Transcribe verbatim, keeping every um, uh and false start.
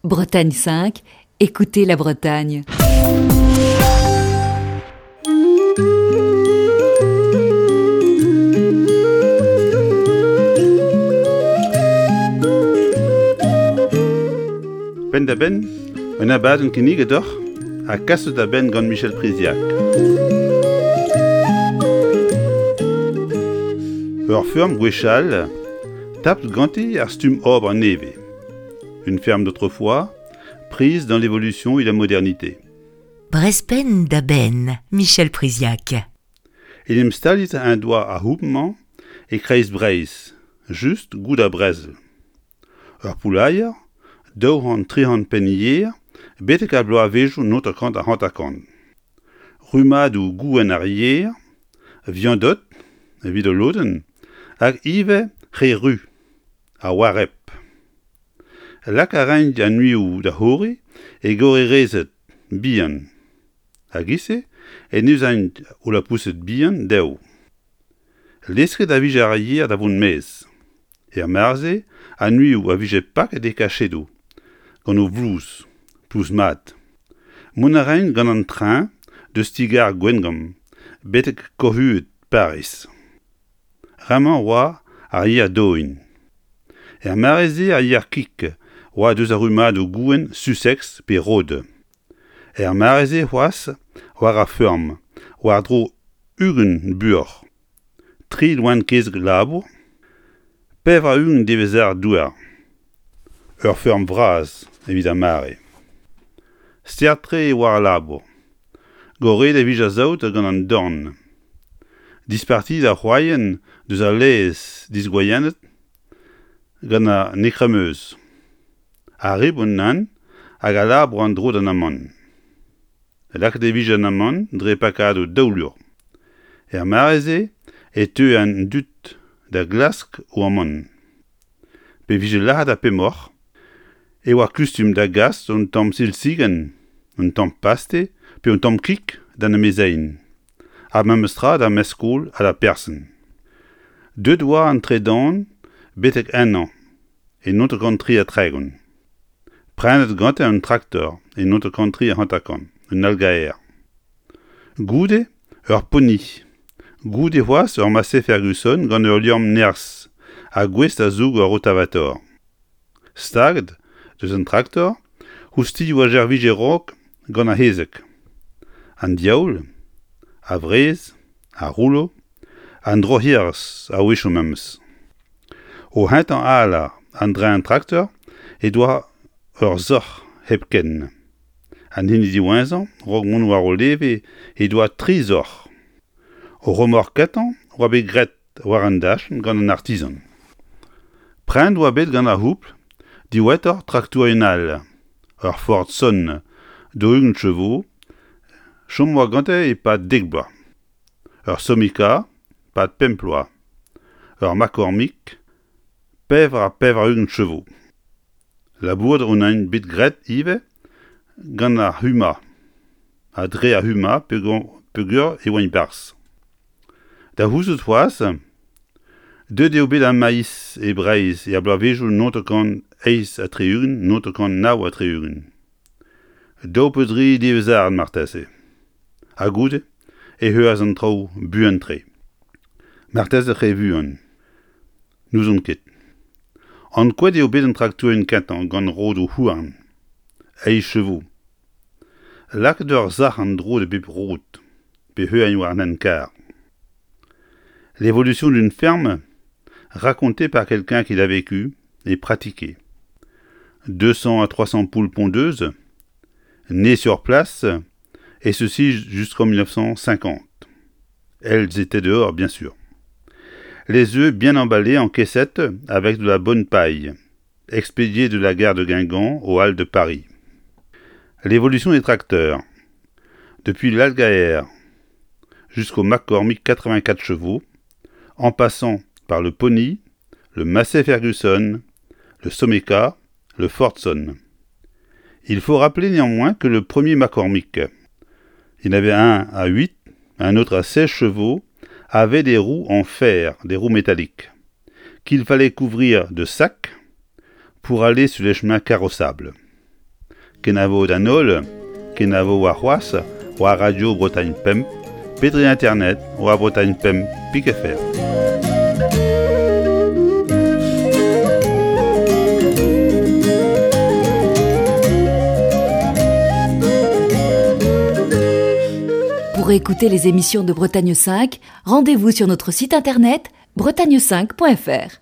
Bretagne cinq, écoutez la Bretagne. Penn-da-benn, un abadenn kinniget deoc'h ha kaset da benn gant Michel Priziac. Ur feurm gwechall, tapet ganti ar stumm ober nevez. Une ferme d'autrefois, prise dans l'évolution et la modernité. Brezh penn-da-benn, Michel Priziac. En em staliet en doa ar c'houbl-mañ e kreiz Breizh, just goude ar brezel. Ur poulailler, daou c'hant tri c'hant penn yer betek ar bloavezhioù hanter-kant ha hanter-kant. Rummadoù gouenn ar yer, Viandot evit ul lodenn, hag ivez re ru, ha Wareb. Lak a raent an uioù da c'horiñ e gorerezed bihan. Hag e-se e neuzaint o lapoused bihan dezho. Lesket a vije ar yer da vont maez. Er mare-se, an uioù a vije paket e kachedoù, gant o vlouz, plouz mat. Mont a raent gant an tren deus ti-gar Gwengamp betek koc'hued Pariz. Bremañ oa ar yer dohin. Er mare-se ar yer kig oa deus ar rummadoù gouenn Sussex pe Rhodes. Er mare-se c'hoazh war ar feurm, war-dro ugent buoc'h, tri loen-kezeg labour, pevar-ugent devezhad douar. Ur feurm vras evit ar mare. Start-tre e oa al labour. Goret e vije ar saout gant an dorn. Dispartiet ar c'hroaien deus al laezh disgwriennet gant an ekremeuz. Ar ribon nann hag a labour en-dro d'an amann. Lakaet e vije an amann dre pakadoù daou lur. Er mare-se e teue an dud da glask o amann. Pe vije lazhet ar pemoc'h e oa kustum da gas un tamm silzigenn, un tamm paste pe un tamm kig d'an amezeien. Ha memes tra d'ar mestr-skol ha d'ar person. Deuet oa an tredan betek ennañ e hanter-kant tri ha tregont. Prenet gantañ un traktor e hanter-kant tri ha hanter-kant, un Allgäuer. Goude ur Pony. Goude c'hoazh ur Massey Ferguson gant ul liamm nerzh ha gouest da zoug ur rotavator. Staget deus an traktor, oustilhoù a servije a-raok gant ar c'hezeg. An diaoul, ar wrez, ar roulo, an droc'herez a-wechoù memes. O c'hentañ alar an dreñv traktor he doa ur soc'h hepken. An hini diwezhañ, a-raok mont war o leve, he doa tri soc'h. O remork kentañ oa bet graet war an dachenn gant an artizan. Prenet oa bet gant ar c'houbl diwezhatoc'h traktourien all, ur Fordson daou-ugent chevaux, chom oa gante e-pad dek bloaz. Ur Someca e-pad pemp bloaz. Ur McCormick pevar ha pevar-ugent chevaux. Labourat on int bet graet ivez gant ar Huma, ha dre ar Huma peogwir e oant e-barzh. Da c'houzout c'hoazh, deuet eo bet ar maiz e Breizh er bloavezhioù hanter-kant eizh ha tri-ugent, hanter-kant nav ha tri-ugent. Daou pe dri devezhad marteze. Ha goude e heuas an traoù buan-tre. Marteze re vuan. N'ouzon ket. Ankouaet eo bet an traktourien kentañ gant rodoù houarn, eizh chevaux. Lakaet ur sac'h en-dro da bep rod, pe heuagn war an hent-karr. L'évolution d'une ferme, racontée par quelqu'un qui l'a vécu et pratiqué. deux cents à trois cents poules pondeuses, nées sur place, et ceci jusqu'en mille neuf cent cinquante. Elles étaient dehors, bien sûr. Les œufs bien emballés en caissette avec de la bonne paille, expédiés de la gare de Guingamp aux Halles de Paris. L'évolution des tracteurs, depuis l'Allgäuer jusqu'au McCormick quatre-vingt-quatre chevaux, en passant par le Pony, le Massey Ferguson, le Someca, le Fordson. Il faut rappeler néanmoins que le premier McCormick, il y en avait un à huit, un autre à seize chevaux, avait des roues en fer, des roues métalliques, qu'il fallait couvrir de sacs pour aller sur les chemins carrossables. Kenavo d'an holl, kenavo war c'hoazh, war Radio Bretagne Pemp, pe dre internet, war Bretagne Pemp pik F R. Pour écouter les émissions de Bretagne cinq, rendez-vous sur notre site internet bretagne cinq point F R.